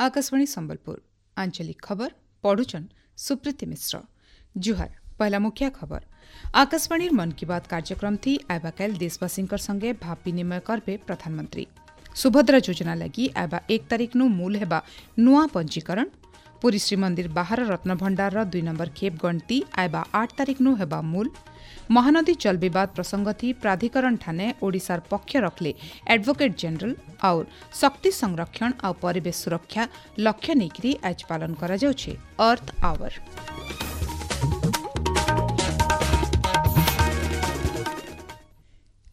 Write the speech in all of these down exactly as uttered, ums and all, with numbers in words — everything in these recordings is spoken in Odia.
ଆକାଶବାଣୀ ସମ୍ବଲପୁର ଆଞ୍ଚଳିକ ଖବର ପଢୁଛନ୍ ସୁପ୍ରୀତି ମିଶ୍ର ଜୁହାର ପହେଲା ମୁଖ୍ୟ ଖବର ଆକାଶବାଣୀର ମନ କି ବାତ କାର୍ଯ୍ୟକ୍ରମ ଥି ଆଇବାକାଲ ଦେଶବାସୀଙ୍କର ସଂଗେ ଭାବ ବିନିମୟ କରବେ ପ୍ରଧାନମନ୍ତ୍ରୀ ସୁଭଦ୍ରା ଯୋଜନା ଲାଗି ଆଇବା ଏକ ତାରିଖନୁ ମୂଲ ହେବା ନୂଆ ପଞ୍ଜୀକରଣ ପୁରୀ ଶ୍ରୀମନ୍ଦିର ବାହାର ରତ୍ନଭଣ୍ଡାରର ଦୁଇ ନମ୍ବର ଖେପ୍ ଗଣତି ଆଇବା ଆଠ ତାରିଖନୁ ହେବା ମୂଲ ମହାନଦୀ ଜଳ ବିବାଦ ପ୍ରସଙ୍ଗ ଥି ପ୍ରାଧିକରଣ ଠାନେ ଓଡ଼ିଶାର ପକ୍ଷ ରଖଲେ ଆଡଭୋକେଟ୍ ଜେନେରାଲ और ଶକ୍ତି ସଂରକ୍ଷଣ ଆଉ ପରିବେଶ ସୁରକ୍ଷା ଲକ୍ଷ୍ୟ ନେଇକରି ଆଜ ପାଳନ କରାଯାଉଛି ଅର୍ଥ ଆୱାର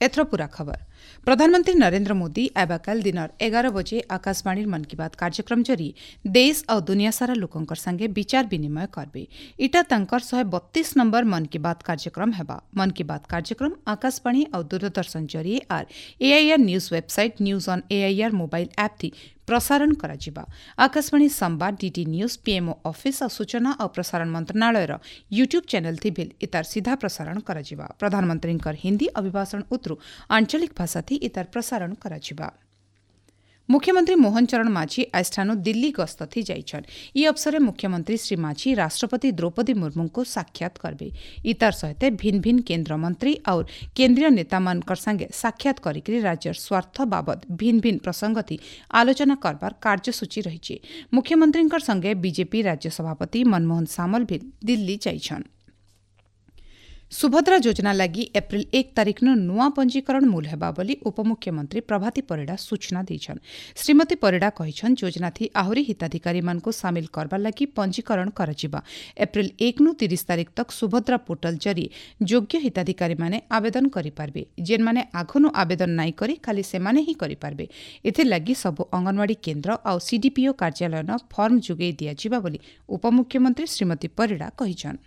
ଏଥର ପୂରା ଖବର ପ୍ରଧାନମନ୍ତ୍ରୀ ନରେନ୍ଦ୍ର ମୋଦି ଆବାକାଲ ଦିନର ଏଗାର ବଜେ ଆକାଶବାଣୀର ମନ କି ବାତ କାର୍ଯ୍ୟକ୍ରମ ଜରିଏ ଦେଶ ଆଉ ଦୁନିଆ ସାରା ଲୋକଙ୍କର ସାଙ୍ଗେ ବିଚାର ବିନିମୟ କରବେ ଇଟା ତାଙ୍କର ଶହେ ବତିଶ ନମ୍ବର ମନ କି ବାତ କାର୍ଯ୍ୟକ୍ରମ ହେବା ମନ କି ବାତ କାର୍ଯ୍ୟକ୍ରମ ଆକାଶବାଣୀ ଆଉ ଦୂରଦର୍ଶନ ଜରିଏ ଆର୍ AIR news website news on AIR mobile app ଥି ପ୍ରସାରଣ କରାଯିବା ଆକାଶବାଣୀ ସମ୍ବାଦ ଡିଡି ନ୍ୟୁଜ୍ ପିଏମ୍ଓ ଅଫିସ୍ ଆଉ ସୂଚନା ଆଉ ପ୍ରସାରଣ ମନ୍ତ୍ରଣାଳୟର ୟୁଟ୍ୟୁବ୍ ଚ୍ୟାନେଲ୍ ଥି ଭିଲ୍ ଇତାର ସିଧା ପ୍ରସାରଣ କରାଯିବା ପ୍ରଧାନମନ୍ତ୍ରୀଙ୍କର ହିନ୍ଦୀ ଅଭିଭାଷଣ ଉତରୁ ଆଞ୍ଚଳିକ ଭାଷା ଥି ଇତାର ପ୍ରସାରଣ କରାଯିବା ମୁଖ୍ୟମନ୍ତ୍ରୀ ମୋହନ ଚରଣ ମାଝୀ ଆଜିଠାନୁ ଦିଲ୍ଲୀ ଗସ୍ତ ଥି ଯାଇଛନ୍ ଇ ଅବସରେ ମୁଖ୍ୟମନ୍ତ୍ରୀ ଶ୍ରୀ ମାଝୀ ରାଷ୍ଟ୍ରପତି ଦ୍ରୌପଦୀ ମୁର୍ମୁଙ୍କୁ ସାକ୍ଷାତ କରବେ ଇତାର ସହିତ ଭିନ୍ନ ଭିନ୍ନ କେନ୍ଦ୍ର ମନ୍ତ୍ରୀ ଆଉ କେନ୍ଦ୍ରୀୟ ନେତାମାନଙ୍କର ସାଙ୍ଗେ ସାକ୍ଷାତ କରିକରି ରାଜ୍ୟର ସ୍ୱାର୍ଥ ବାବଦ ଭିନ୍ନ ଭିନ୍ନ ପ୍ରସଙ୍ଗ ଥି ଆଲୋଚନା କରବାର କାର୍ଯ୍ୟସୂଚୀ ରହିଛି ମୁଖ୍ୟମନ୍ତ୍ରୀଙ୍କର ସଙ୍ଗେ ବିଜେପି ରାଜ୍ୟ ସଭାପତି ମନମୋହନ ସାମଲ ବି ଦିଲ୍ଲୀ ଯାଇଛନ୍ ସୁଭଦ୍ରା ଯୋଜନା ଲାଗି ଏପ୍ରିଲ ଏକ ତାରିଖନୁ ନୂଆ ପଞ୍ଜୀକରଣ ମୂଲ ହେବା ବୋଲି ଉପମୁଖ୍ୟମନ୍ତ୍ରୀ ପ୍ରଭାତୀ ପରିଡ଼ା ସୂଚନା ଦେଇଛନ୍ ଶ୍ରୀମତୀ ପରିଡ଼ା କହିଛନ୍ ଯୋଜନାଥି ଆହୁରି ହିତାଧିକାରୀମାନଙ୍କୁ ସାମିଲ କରବାର ଲାଗି ପଞ୍ଜୀକରଣ କରାଯିବା ଏପ୍ରିଲ ଏକନୁ ତିରିଶ ତାରିଖ ତକ୍ ସୁଭଦ୍ରା ପୋର୍ଟାଲ ଜରିଏ ଯୋଗ୍ୟ ହିତାଧିକାରୀମାନେ ଆବେଦନ କରିପାରିବେ ଯେନ୍ମାନେ ଆଘନୁ ଆବେଦନ ନାଇଁ କରି ଖାଲି ସେମାନେ ହିଁ କରିପାରିବେ ଏଥିର୍ଲାଗି ସବୁ ଅଙ୍ଗନବାଡ଼ି କେନ୍ଦ୍ର ଆଉ ସିଡିପିଓ କାର୍ଯ୍ୟାଳୟନ ଫର୍ମ ଯୋଗାଇ ଦିଆଯିବା ବୋଲି ଉପମୁଖ୍ୟମନ୍ତ୍ରୀ ଶ୍ରୀମତୀ ପରିଡ଼ା କହିଛନ୍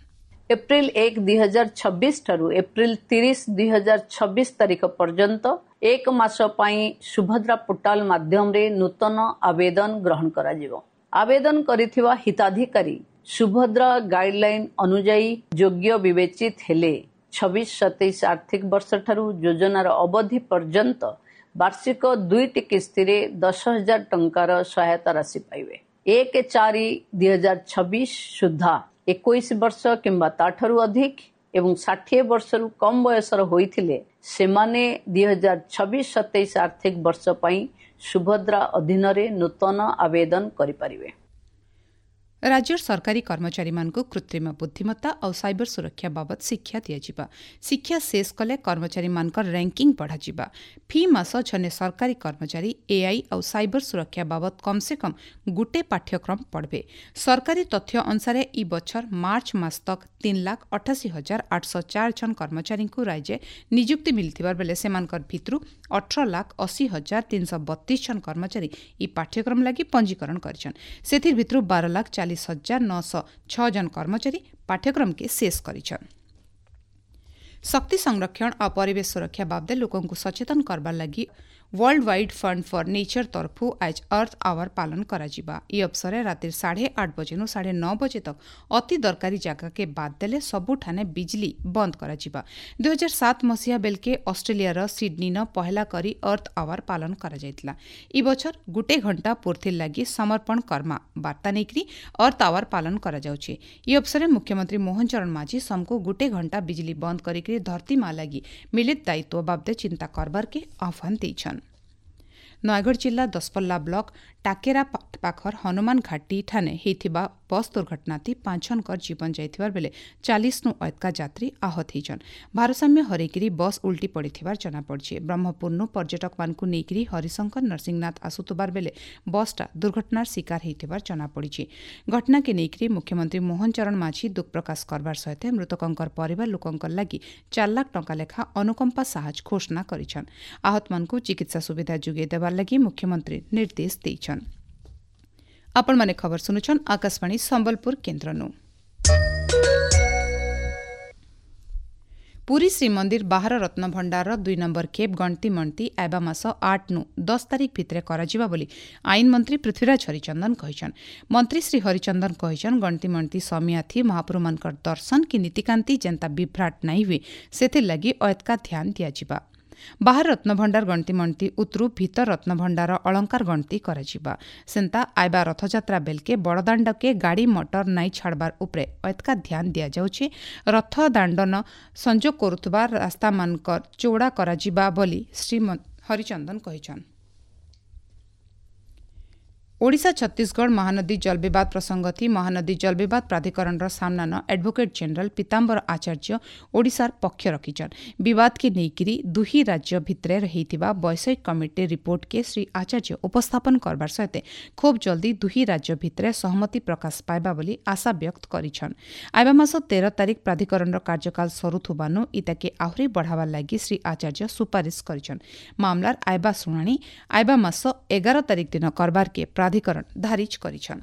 ଏପ୍ରିଲ ଏକ ଦୁଇ ହଜାର ଛବିଶ ଠାରୁ ଏପ୍ରିଲ ତିରିଶ ଦୁଇ ହଜାର ଛବିଶ ତାରିଖ ପର୍ଯ୍ୟନ୍ତ ଏକ ମାସ ପାଇଁ ସୁଭଦ୍ରା ପୋର୍ଟାଲ ମାଧ୍ୟମରେ ନୂତନ ଆବେଦନ ଗ୍ରହଣ କରାଯିବ ଆବେଦନ କରିଥିବା ହିତାଧିକାରୀ ସୁଭଦ୍ରା ଗାଇଡଲାଇନ ଅନୁଯାୟୀ ଯୋଗ୍ୟ ବିବେଚିତ ହେଲେ ଛବିଶ ସତେଇଶ ଆର୍ଥିକ ବର୍ଷଠାରୁ ଯୋଜନାର ଅବଧି ପର୍ଯ୍ୟନ୍ତ ବାର୍ଷିକ ଦୁଇଟି କିସ୍ତିରେ ଦଶ ହଜାର ଟଙ୍କାର ସହାୟତା ରାଶି ପାଇବେ ଏକ ଚାରି ଦୁଇ ହଜାର ଛବିଶ ସୁଦ୍ଧା ଏକୋଇଶ ବର୍ଷ କିମ୍ବା ତାଠାରୁ ଅଧିକ ଏବଂ ଷାଠିଏ ବର୍ଷରୁ କମ୍ ବୟସର ହୋଇଥିଲେ ସେମାନେ ଦୁଇ ହଜାର ଛବିଶ ସତେଇଶ ଆର୍ଥିକ ବର୍ଷ ପାଇଁ ସୁଭଦ୍ରା ଅଧୀନରେ ନୂତନ ଆବେଦନ କରିପାରିବେ ରାଜ୍ୟର ସରକାରୀ କର୍ମଚାରୀମାନଙ୍କୁ କୃତ୍ରିମ ବୁଦ୍ଧିମତ୍ତା ଆଉ ସାଇବର ସୁରକ୍ଷା ବାବଦ ଶିକ୍ଷା ଦିଆଯିବା ଶିକ୍ଷା ଶେଷ କଲେ କର୍ମଚାରୀମାନଙ୍କର ର୍ୟାଙ୍କିଂ ବଢ଼ାଯିବା ଫି ମାସ ଝନେ ସରକାରୀ କର୍ମଚାରୀ ଏଆଇ ଆଉ ସାଇବର ସୁରକ୍ଷା ବାବଦ କମ୍ ସେ କମ୍ ଗୁଟେ ପାଠ୍ୟକ୍ରମ ପଢ଼ବେ ସରକାରୀ ତଥ୍ୟ ଅନୁସାରେ ଇ ବଛର ମାର୍ଚ୍ଚ ମାସ ତକ୍ ତିନି ଲାଖ ଅଠାଅଶୀ ହଜାର ଆଠଶହ ଚାର ଜଣ କର୍ମଚାରୀଙ୍କୁ ରାଜ୍ୟ ନିଯୁକ୍ତି ମିଳିଥିବାର ବେଲେ ସେମାନଙ୍କର ଭିତରୁ ଅଠର ଲାଖ ଅଶୀ ହଜାର ତିନିଶହ ବତିଶ ଜଣ କର୍ମଚାରୀ ଇ ପାଠ୍ୟକ୍ରମ ଲାଗି ପଞ୍ଜୀକରଣ କରିଛନ୍ ସେଥିର୍ ଭିତରୁ ବାର ଲାଖ ଚାଳିଶ ହଜାର ନଅଶହ ଛଅ ଜଣ କର୍ମଚାରୀ ପାଠ୍ୟକ୍ରମକେ ଶେଷ କରିଛନ୍ ଶକ୍ତି ସଂରକ୍ଷଣ ଆଉ ପରିବେଶ ସୁରକ୍ଷା ବାବଦେ ଲୋକଙ୍କୁ ସଚେତନ କରବାର ଲାଗି world wide fund for nature ତରଫୁ ଆଜ ଅର୍ଥ ଆୱାର ପାଳନ କରାଯିବା ଇ ଅବସରେ ରାତିର ସାଢ଼େ ଆଠ ବଜେନୁ ସାଢ଼େ ନଅ ବଜେ ତକ୍ ଅତି ଦରକାରୀ ଜାଗାକେ ବାଦ ଦେଲେ ସବୁଠାନେ ବିଜଲି ବନ୍ଦ କରାଯିବା ଦୁଇ ହଜାର ସାତ ମସିହା ବେଲକେ ଅଷ୍ଟ୍ରେଲିଆର ସିଡନୀନ ପହେଲା କରି ଅର୍ଥ ଆୱାର ପାଳନ କରାଯାଇଥିଲା ଇ ବଛର ଗୁଟେ ଘଣ୍ଟା ପୂର୍ତ୍ତିର୍ ଲାଗି ସମର୍ପଣ କର୍ମା ବାର୍ତ୍ତା ନେଇକରି ଅର୍ଥ ଆୱାର ପାଳନ କରାଯାଉଛି ଇ ଅବସରେ ମୁଖ୍ୟମନ୍ତ୍ରୀ ମୋହନ ଚରଣ ମାଝୀ ସମକୁ ଗୁଟେ ଘଣ୍ଟା ବିଜଲି ବନ୍ଦ କରିକରି ଧରତୀ ମା ଲାଗି ମିଳିତ ଦାୟିତ୍ୱ ବାବଦେ ଚିନ୍ତା କରବାରକେ ଆହ୍ୱାନ ଦେଇଛନ୍ ନୟାଗଡ଼ ଜିଲ୍ଲା ଦଶପଲ୍ଲା ବ୍ଲକ ଟାକେରା ପାଖର ହନୁମାନ ଘାଟି ଠାନେ ହେଇଥିବା ବସ୍ ଦୁର୍ଘଟଣାତି ପାଞ୍ଚ ଜଣଙ୍କର ଜୀବନ ଯାଇଥିବାର ବେଲେ ଚାଳିଶନୁ ଅଏତକା ଯାତ୍ରୀ ଆହତ ହେଇଛନ୍ ଭାରସାମ୍ୟ ହରେଇକିରି ବସ୍ ଉଲ୍ଟି ପଡ଼ିଥିବାର ଜଣାପଡ଼ିଛି ବ୍ରହ୍ମପୁରନୁ ପର୍ଯ୍ୟଟକମାନଙ୍କୁ ନେଇକିରି ହରିଶଙ୍କର ନରସିଂହନାଥ ଆସୁଥିବାର ବେଲେ ବସ୍ଟା ଦୁର୍ଘଟଣାର ଶିକାର ହେଇଥିବାର ଜଣାପଡ଼ିଛି ଘଟଣାକେ ନେଇକିରି ମୁଖ୍ୟମନ୍ତ୍ରୀ ମୋହନ ଚରଣ ମାଝୀ ଦୁଃଖ ପ୍ରକାଶ କରବାର ସହିତ ମୃତକଙ୍କର ପରିବାର ଲୋକଙ୍କର ଲାଗି ଚାରି ଲାଖ ଟଙ୍କା ଲେଖା ଅନୁକମ୍ପା ସାହାଯ୍ୟ ଘୋଷଣା କରିଛନ୍ ଆହତମାନଙ୍କୁ ଚିକିତ୍ସା ସୁବିଧା ଯୋଗାଇ ଦେବାର ଲାଗି ମୁଖ୍ୟମନ୍ତ୍ରୀ ନିର୍ଦ୍ଦେଶ ଦେଇଛନ୍ ଆପଣମାନେ ଖବର ଶୁଣୁଛନ୍ ଆକାଶବାଣୀ ସମ୍ବଲପୁର କେନ୍ଦ୍ରନୁ ପୁରୀ ଶ୍ରୀମନ୍ଦିର ବାହାର ରତ୍ନଭଣ୍ଡାରର ଦୁଇ ନମ୍ବର ଖେପ୍ ଗଣତି ମଣତି ଆଇବା ମାସ ଆଠନୁ ଦଶ ତାରିଖ ଭିତରେ କରାଯିବା ବୋଲି ଆଇନ ମନ୍ତ୍ରୀ ପୃଥ୍ୱୀରାଜ ହରିଚନ୍ଦନ କହିଛନ୍ ମନ୍ତ୍ରୀ ଶ୍ରୀ ହରିଚନ୍ଦନ କହିଛନ୍ ଗଣତି ମଣତି ସମିଆଥି ମହାପ୍ରଭୁମାନଙ୍କର ଦର୍ଶନ କି ନୀତିକାନ୍ତି ଯେନ୍ତା ବିଭ୍ରାଟ ନାଇଁ ହୁଏ ସେଥିର୍ଲାଗି ଅଏତକା ଧ୍ୟାନ ଦିଆଯିବା ବାହାର ରତ୍ନଭଣ୍ଡାର ଗଣତି ମଣ୍ଟି ଉତରୁ ଭିତର ରତ୍ନଭଣ୍ଡାର ଅଳଙ୍କାର ଗଣତି କରାଯିବା। ସେନ୍ତା ଆଇବା ରଥଯାତ୍ରା ବେଲକେ ବଡ଼ଦାଣ୍ଡକେ ଗାଡ଼ି ମଟର ନାଇଁ ଛାଡ଼ବାର ଉପରେ ଏତକା ଧ୍ୟାନ ଦିଆଯାଉଛି। ରଥ ଦାଣ୍ଡନ ସଂଯୋଗ କରୁଥିବା ରାସ୍ତାମାନଙ୍କର ଚୌଡ଼ା କରାଯିବା ବୋଲି ଶ୍ରୀ ହରିଚନ୍ଦନ କହିଛନ୍। ଓଡ଼ିଶା ଛତିଶଗଡ଼ ମହାନଦୀ ଜଳବିବାଦ ପ୍ରସଙ୍ଗ ଥି ମହାନଦୀ ଜଳବିବାଦ ପ୍ରାଧିକରଣର ସାମ୍ନାନ ଆଡଭୋକେଟ୍ ଜେନେରାଲ ପୀତାମ୍ବର ଆଚାର୍ଯ୍ୟ ଓଡ଼ିଶାର ପକ୍ଷ ରଖିଛନ୍। ବିବାଦକେ ନେଇକିରି ଦୁହି ରାଜ୍ୟ ଭିତରେ ହେଇଥିବା ବୈଷୟିକ କମିଟି ରିପୋର୍ଟକେ ଶ୍ରୀ ଆଚାର୍ଯ୍ୟ ଉପସ୍ଥାପନ କରବାର ସହିତ ଖୁବ୍ ଜଲ୍ଦି ଦୁହି ରାଜ୍ୟ ଭିତରେ ସହମତି ପ୍ରକାଶ ପାଇବା ବୋଲି ଆଶା ବ୍ୟକ୍ତ କରିଛନ୍। ଆଇବା ମାସ ତେର ତାରିଖ ପ୍ରାଧିକରଣର କାର୍ଯ୍ୟକାଳ ସରୁଥିବାନୁ ଇତାକେ ଆହୁରି ବଢ଼ାବାର ଲାଗି ଶ୍ରୀ ଆଚାର୍ଯ୍ୟ ସୁପାରିଶ କରିଛନ୍। ମାମଲାର ଆଇବା ଶୁଣାଣି ଆଇବା ମାସ ଏଗାର ତାରିଖ ଦିନ କରବାରକେ ପ୍ରାଧିକରଣ ଧାରିଜ କରିଛନ୍।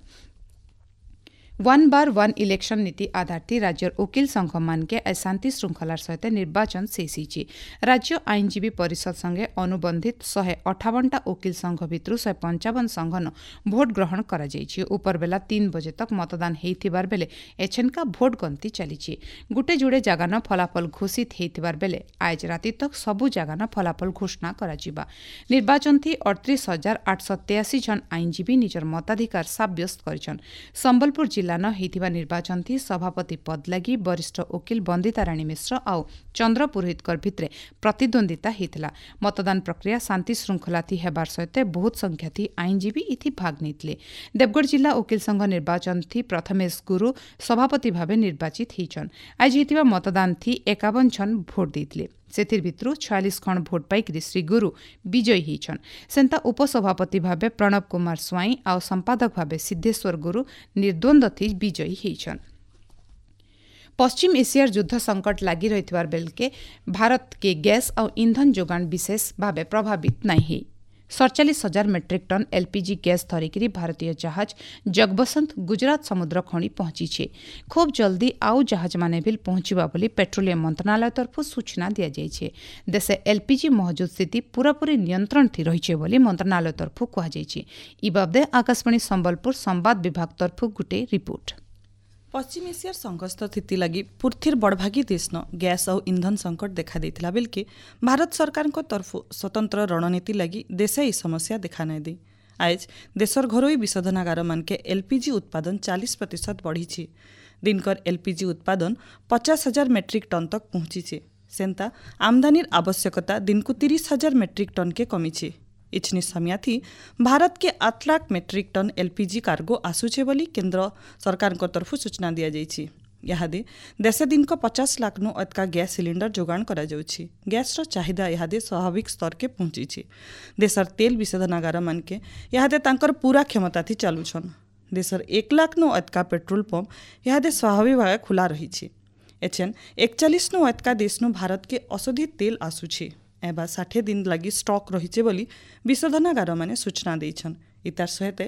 ୱାନ୍ ବାର ୱାନ୍ ଇଲେକ୍ସନ ନୀତି ଆଧାର ଥି ରାଜ୍ୟର ଓକିଲ ସଂଘ ମାନକେ ଶାନ୍ତି ଶୃଙ୍ଖଳାର ସହିତ ନିର୍ବାଚନ ଶେଷ ହେଇଛି। ରାଜ୍ୟ ଆଇନଜୀବୀ ପରିଷଦ ସଙ୍ଗେ ଅନୁବନ୍ଧିତ ଶହେ ଅଠାବନଟା ଓକିଲ ସଂଘ ଭିତରୁ ଶହେ ପଞ୍ଚାବନ ସଂଘନ ଭୋଟ ଗ୍ରହଣ କରାଯାଇଛି। ଉପରବେଲା ତିନି ବଜେ ତକ ମତଦାନ ହେଇଥିବାର ବେଲେ ଏଛେନକା ଭୋଟ ଗଣତି ଚାଲିଛି। ଗୁଟେ ଯୁଡ଼େ ଜାଗାନ ଫଳାଫଳ ଘୋଷିତ ହେଇଥିବାର ବେଲେ ଆଜ ରାତି ତକ ସବୁ ଜାଗାନ ଫଳାଫଳ ଘୋଷଣା କରାଯିବା। ନିର୍ବାଚନ ଥି ଅଠତିରିଶ ହଜାର ଆଠଶହ ତେୟାଅଶୀ ଜଣ ଆଇନଜୀବୀ ନିଜର ମତାଧିକାର ସାବ୍ୟସ୍ତ କରିଛନ୍। ସମ୍ବଲପୁର ଜିଲ୍ଲା ନ ହେଇଥିବା ନିର୍ବାଚନ ଥି ସଭାପତି ପଦ ଲାଗି ବରିଷ୍ଠ ଓକିଲ ବନ୍ଦିତା ରାଣୀ ମିଶ୍ର ଆଉ ଚନ୍ଦ୍ର ପୁରୋହିତଙ୍କର ଭିତରେ ପ୍ରତିଦ୍ୱନ୍ଦିତା ହେଇଥିଲା। ମତଦାନ ପ୍ରକ୍ରିୟା ଶାନ୍ତି ଶୃଙ୍ଖଳା ଥି ହେବାର ସହିତ ବହୁତ ସଂଖ୍ୟା ଥି ଆଇନଜୀବୀ ଇଥି ଭାଗ ନେଇଥିଲେ। ଦେବଗଡ଼ ଜିଲ୍ଲା ଓକିଲ ସଂଘ ନିର୍ବାଚନ ଥି ପ୍ରଥମେଶ ଗୁରୁ ସଭାପତି ଭାବେ ନିର୍ବାଚିତ ହେଇଛନ୍। ଆଜି ହେଇଥିବା ମତଦାନ ଥି ଏକାବନ ଜଣ ଭୋଟ ଦେଇଥିଲେ। ସେଥିର୍ ଭିତରୁ ଛୟାଳିଶ ଖଣ୍ଡ ଭୋଟ ପାଇକରି ଶ୍ରୀ ଗୁରୁ ବିଜୟୀ ହେଇଛନ୍। ସେନ୍ତା ଉପସଭାପତି ଭାବେ ପ୍ରଣବ କୁମାର ସ୍ୱାଇଁ ଆଉ ସମ୍ପାଦକ ଭାବେ ସିଦ୍ଧେଶ୍ୱର ଗୁରୁ ନିର୍ଦ୍ୱନ୍ଦ୍ୱ ଥି ବିଜୟୀ ହେଇଛନ୍। ପଶ୍ଚିମ ଏସିଆର ଯୁଦ୍ଧ ସଙ୍କଟ ଲାଗି ରହିଥିବାର ବେଲକେ ଭାରତକେ ଗ୍ୟାସ୍ ଆଉ ଇନ୍ଧନ ଯୋଗାଣ ବିଶେଷ ଭାବେ ପ୍ରଭାବିତ ନାଇଁ ହେଇ। ସଡ଼ଚାଳିଶ ହଜାର ମେଟ୍ରିକ୍ ଟନ୍ ଏଲ୍ପିଜି ଗ୍ୟାସ୍ ଧରିକିରି ଭାରତୀୟ ଜାହାଜ ଜଗବସନ୍ତ ଗୁଜରାଟ ସମୁଦ୍ର ଖଣି ପହଞ୍ଚିছে। ଖୁବ୍ ଜଲ୍ଦି ଆଉ ଜାହାଜମାନେ ବି ପହଞ୍ଚିବା ବୋଲି ପେଟ୍ରୋଲିୟମ ମନ୍ତ୍ରଣାଳୟ ତରଫରୁ ସୂଚନା ଦିଆଯାଇଛି। ଦେଶେ ଏଲ୍ପିଜି ମହଜୁଦ ସ୍ଥିତି ପୂରାପୂରି ନିୟନ୍ତ୍ରଣ ଥି ରହିছে ବୋଲି ମନ୍ତ୍ରଣାଳୟ ତରଫରୁ କୁହାଯାଇଛି। ଇ ବାବଦେ ଆକାଶବାଣୀ ସମ୍ବଲପୁର ସମ୍ବାଦ ବିଭାଗ ତରଫରୁ ଗୋଟିଏ ରିପୋର୍ଟ। ପଶ୍ଚିମ ଏସିଆର ସଂଘର୍ଷ ସ୍ଥିତି ଲାଗି ପୃଥିବୀର ବଡ଼ଭାଗୀ ଦେଶନ ଗ୍ୟାସ୍ ଆଉ ଇନ୍ଧନ ସଙ୍କଟ ଦେଖାଦେଇଥିଲା ବେଲକେ ଭାରତ ସରକାରଙ୍କ ତରଫରୁ ସ୍ୱତନ୍ତ୍ର ରଣନୀତି ଲାଗି ଦେଶେ ଏହି ସମସ୍ୟା ଦେଖା ନାଇଁ ଦେଇ। ଆଏଜ ଦେଶର ଘରୋଇ ବିଶୋଧନାଗାରମାନକେ ଏଲ୍ପିଜି ଉତ୍ପାଦନ ଚାଳିଶ ପ୍ରତିଶତ ବଢ଼ିଛି। ଦିନକର ଏଲ୍ପିଜି ଉତ୍ପାଦନ ପଚାଶ ହଜାର ମେଟ୍ରିକ୍ ଟନ୍ ତକ୍ ପହଞ୍ଚିছে। ସେନ୍ତା ଆମଦାନୀର ଆବଶ୍ୟକତା ଦିନକୁ ତିରିଶ ହଜାର ମେଟ୍ରିକ୍ ଟନ୍କେ କମିଛି। ଇଛନି ସମିୟାଥି ଭାରତ କେ ଆଠ ଲାଖ ମେଟ୍ରିକ୍ ଟନ୍ ଏଲ୍ପିଜି କାର୍ଗୋ ଆସୁଛେ ବୋଲି କେନ୍ଦ୍ର ସରକାରଙ୍କ ତରଫରୁ ସୂଚନା ଦିଆଯାଇଛି। ଇହାଦେ ଦେଶେ ଦିନକ ପଚାଶ ଲାଖନୁ ଅତକା ଗ୍ୟାସ୍ ସିଲିଣ୍ଡର ଯୋଗାଣ କରାଯାଉଛି। ଗ୍ୟାସ୍ର ଚାହିଦା ଇହାଦେ ସ୍ୱାଭାବିକ ସ୍ତରକେ ପହଞ୍ଚିଛି। ଦେଶର ତେଲ ବିଶୋଧନାଗାରମାନକେ ଇହାଦେ ତାଙ୍କର ପୁରା କ୍ଷମତାଥି ଚାଲୁଛନ୍। ଦେଶର ଏକ ଲାଖନୁ ଅତକା ପେଟ୍ରୋଲ ପମ୍ପ ଇହାଦେ ସ୍ୱାଭାବିକ ଭାବେ ଖୋଲା ରହିଛି। ଏଛେନ୍ ଏକଚାଳିଶନୁ ଅତକା ଦେଶନୁ ଭାରତକେ ଅଶୋଧିତ ତେଲ ଆସୁଛି। ଏବା ଷାଠିଏ ଦିନ ଲାଗି ଷ୍ଟକ୍ ରହିছে ବୋଲି ବିଶୋଧନାଗାରମାନେ ସୂଚନା ଦେଇଛନ୍। ଇତାର ସହିତ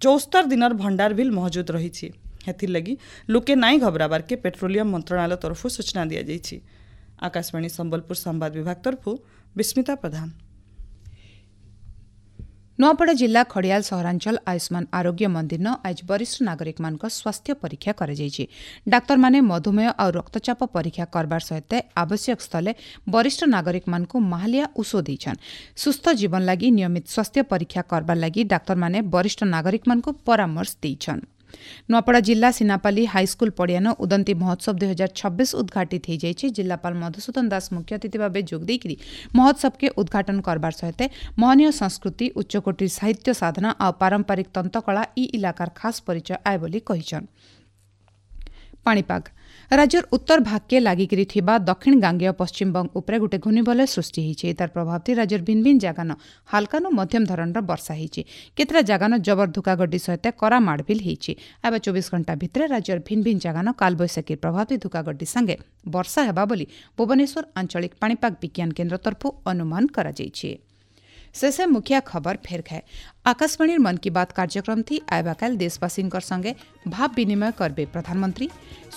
ଚଉସ୍ତର ଦିନର ଭଣ୍ଡାର ବିଲ୍ ମହଜୁଦ ରହିଛି। ହେଥିର୍ଲାଗି ଲୋକେ ନାଇଁ ଘବରାବାର୍କେ ପେଟ୍ରୋଲିୟମ ମନ୍ତ୍ରଣାଳୟ ତରଫରୁ ସୂଚନା ଦିଆଯାଇଛି। ଆକାଶବାଣୀ ସମ୍ବଲପୁର ସମ୍ବାଦ ବିଭାଗ ତରଫରୁ ବିସ୍ମିତା ପ୍ରଧାନ। ନୂଆପଡ଼ା ଜିଲ୍ଲା ଖଡ଼ିଆଲ ସହରାଞ୍ଚଳ ଆୟୁଷ୍ମାନ ଆରୋଗ୍ୟ ମନ୍ଦିରନ ଆଜି ବରିଷ୍ଠ ନାଗରିକମାନଙ୍କ ସ୍ୱାସ୍ଥ୍ୟ ପରୀକ୍ଷା କରାଯାଇଛି। ଡାକ୍ତରମାନେ ମଧୁମେହ ଆଉ ରକ୍ତଚାପ ପରୀକ୍ଷା କରବାର ସହିତ ଆବଶ୍ୟକ ସ୍ଥଳେ ବରିଷ୍ଠ ନାଗରିକମାନଙ୍କୁ ମାହାଲିଆ ଔଷଧ ଦେଇଛନ୍। ସୁସ୍ଥ ଜୀବନ ଲାଗି ନିୟମିତ ସ୍ୱାସ୍ଥ୍ୟ ପରୀକ୍ଷା କରବାର ଲାଗି ଡାକ୍ତରମାନେ ବରିଷ୍ଠ ନାଗରିକମାନଙ୍କୁ ପରାମର୍ଶ ଦେଇଛନ୍। ନୂଆପଡ଼ା ଜିଲ୍ଲା ସିନାପାଲି ହାଇସ୍କୁଲ ପଡ଼ିଆନ ଉଦନ୍ତୀ ମହୋତ୍ସବ ଦୁଇ ହଜାର ଛବିଶ ଉଦ୍ଘାଟିତ ହୋଇଯାଇଛି। ଜିଲ୍ଲାପାଳ ମଧୁସୂଦନ ଦାସ ମୁଖ୍ୟ ଅତିଥି ଭାବେ ଯୋଗ ଦେଇକରି ମହୋତ୍ସବକେ ଉଦ୍ଘାଟନ କରବାର ସହିତ ମହନୀୟ ସଂସ୍କୃତି, ଉଚ୍ଚକୋଟୀର ସାହିତ୍ୟ ସାଧନା ଆଉ ପାରମ୍ପରିକ ତନ୍ତକଳା ଇ ଇଲାକାର ଖାସ୍ ପରିଚୟ ଆଏ ବୋଲି କହିଛନ୍। ପାଣିପାଗ ରାଜ୍ୟର ଉତ୍ତର ଭାଗକେ ଲାଗିକିରି ଥିବା ଦକ୍ଷିଣ ଗାଙ୍ଗେୟ ପଶ୍ଚିମବଙ୍ଗ ଉପରେ ଗୋଟେ ଘୂର୍ଣ୍ଣିବଳୟ ସୃଷ୍ଟି ହେଇଛି। ତାର ପ୍ରଭାବରେ ରାଜ୍ୟର ଭିନ୍ନ ଭିନ୍ନ ଜାଗାନ ହାଲକାନୁ ମଧ୍ୟମ ଧରଣର ବର୍ଷା ହେଇଛି। କେତେଟା ଜାଗାନ ଜବର ଧୁକାଗड्डी ସହିତ କରା ମାଡ଼ଭିଲ ହେଇଛି। ଏବେ ଚବିଶ ଘଣ୍ଟା ଭିତରେ ରାଜ୍ୟର ଭିନ୍ନ ଭିନ୍ନ ଜାଗାନ କାଲବୈଶାଖୀ ପ୍ରଭାବରେ ଧୁକାଗड्डी ସାଙ୍ଗେ ବର୍ଷା ହେବା ବୋଲି ଭୁବନେଶ୍ୱର ଆଞ୍ଚଳିକ ପାଣିପାଗ ବିଜ୍ଞାନ କେନ୍ଦ୍ର ତରଫରୁ ଅନୁମାନ କରାଯାଇଛି। शेषे मुखिया खबर फेर खाए। आकाशवाणी मन की बात कार्यक्रम थी आयबा काल देशवासी संगे भाव विनिमय करबे प्रधानमंत्री।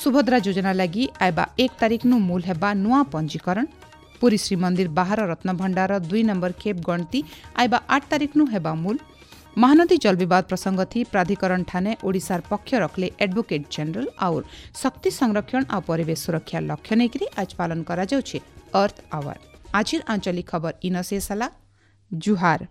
सुभद्रा योजना लागि आयबा एक तारीख नु मूल हेबा नुआ पंजीकरण। पुरी श्रीमंदिर बाहर रत्नभंडार दुई नंबर खेप गणती आयबा आठ तारीख नु हेबा मूल। महानदी जल विवाद प्रसंग थी प्राधिकरण ठाने ओडिशार पक्ष रखले एडवोकेट जनरल और शक्ति संरक्षण आ परिवेश सुरक्षा लक्ष्य नेकरी आज पालन करा जाଉଛି अर्थ आवर। আজির আঞ্চলিক খবর ইন শেষ হলা। ଜୁହାର।